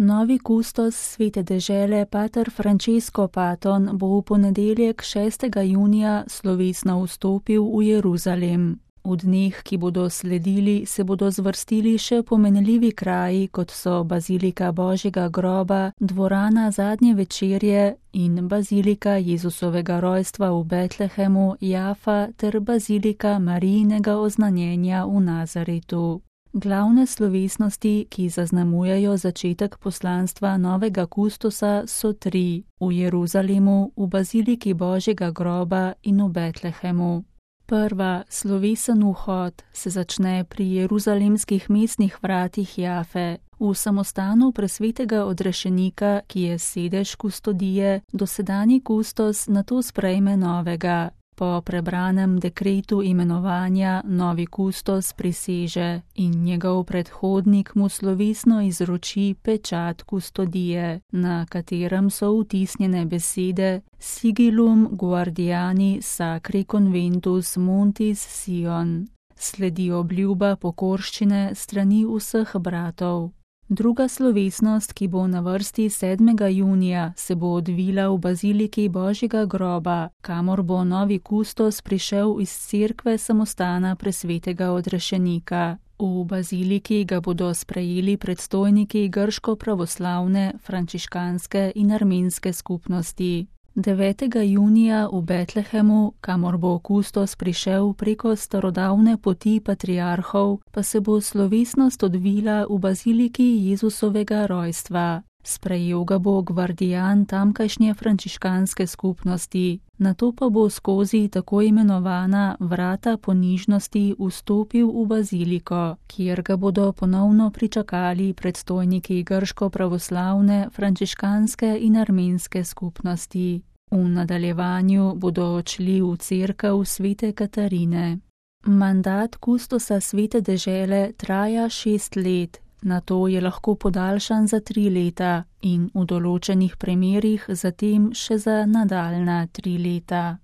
Novi kustos svete dežele pater Francesco Paton bo v ponedeljek 6. junija slovesno vstopil v Jeruzalem. V dneh, ki bodo sledili, se bodo zvrstili še pomenljivi kraji, kot so Bazilika Božjega groba, dvorana Zadnje večerje in Bazilika Jezusovega rojstva v Betlehemu, Jafa ter Bazilika Marijinega oznanjenja v Nazaretu. Glavne slovesnosti, ki zaznamujejo začetek poslanstva novega kustosa, so 3: v Jeruzalemu, v Baziliki Božjega groba in v Betlehemu. Prva, slovesen vhod, se začne pri jeruzalemskih mestnih vratih Jafe, v samostanu presvetega odrešenika, ki je sedež kustodije, dosedanji kustos nato sprejme novega. Po prebranem dekretu imenovanja novi kustos priseže in njegov predhodnik mu slovesno izroči pečat kustodije, na katerem so vtisnjene besede Sigillum guardiani sacri conventus Montis Sion. Sledi obljuba pokorščine strani vseh bratov. Druga slovesnost, ki bo na vrsti 7. junija, se bo odvila v Baziliki Božjega groba, kamor bo novi kustos prišel iz cerkve samostana presvetega odrešenika. V baziliki ga bodo sprejeli predstojniki grško-pravoslavne, frančiškanske in armenske skupnosti. 9. junija v Betlehemu, kamor bo kustos prišel preko starodavne poti patriarhov, pa se bo slovesnost odvila v Baziliki Jezusovega rojstva. Sprejel ga bo gvardijan tamkajšnje frančiškanske skupnosti, nato pa bo skozi tako imenovana vrata ponižnosti vstopil v baziliko, kjer ga bodo ponovno pričakali predstojniki grško-pravoslavne, frančiškanske in armenske skupnosti. V nadaljevanju bodo odšli v cerkev svete Katarine. Mandat kustosa svete dežele traja 6 let. Nato je lahko podaljšan za 3 leta in v določenih primerih zatem še za nadaljnja 3 leta.